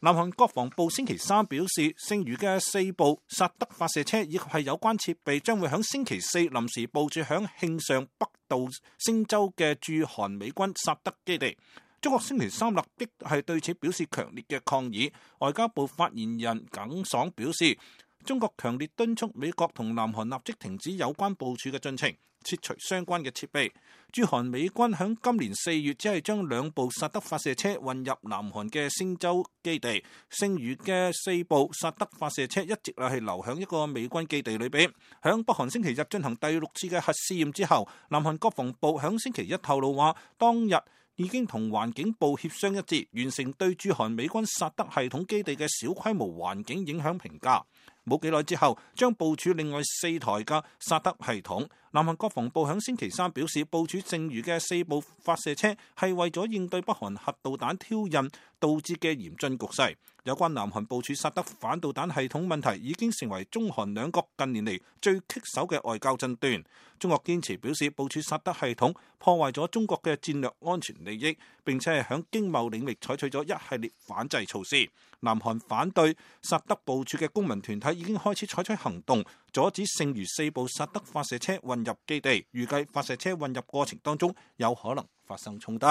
南韓國防部星期三表示，剩餘嘅4部薩德發射車以及係有關設備將會喺星期四臨時部署響慶尚北道星州嘅駐韓美軍薩德基地。中國星期三立即係對此表示強烈嘅抗議。外交部發言人耿爽表示，中國強烈敦促美國同南韓立即停止有關部署嘅進程，撤除相關嘅設備。駐韓美軍響今年4月只係將2部薩德發射車運入南韓嘅星州基地，剩餘嘅4部薩德發射車一直係留響一個美軍基地裏邊。響北韓星期日進行第6次嘅核試驗之後，南韓國防部響星期一透露話，當日已經同環境部協商一致，完成對駐韓美軍薩德系統基地嘅小規模環境影響評價。冇幾耐之後，將部署另外4台嘅薩德系統。南韓國防部響星期三表示，部署剩餘嘅4部發射車係為咗應對北韓核導彈挑釁導致嘅嚴峻局勢。有關南韓部署薩德反導彈系統問題已經成為中韓兩國近年嚟最棘手嘅外交爭端。中國堅持表示，部署薩德系統破壞咗中國嘅戰略安全利益，並且係響經貿領域採取咗一系列反制措施。南韓反對薩德部署嘅公民團體已經開始採取行動，阻止剩餘4部薩德發射車運入基地。預計發射車運入過程當中有可能發生衝突。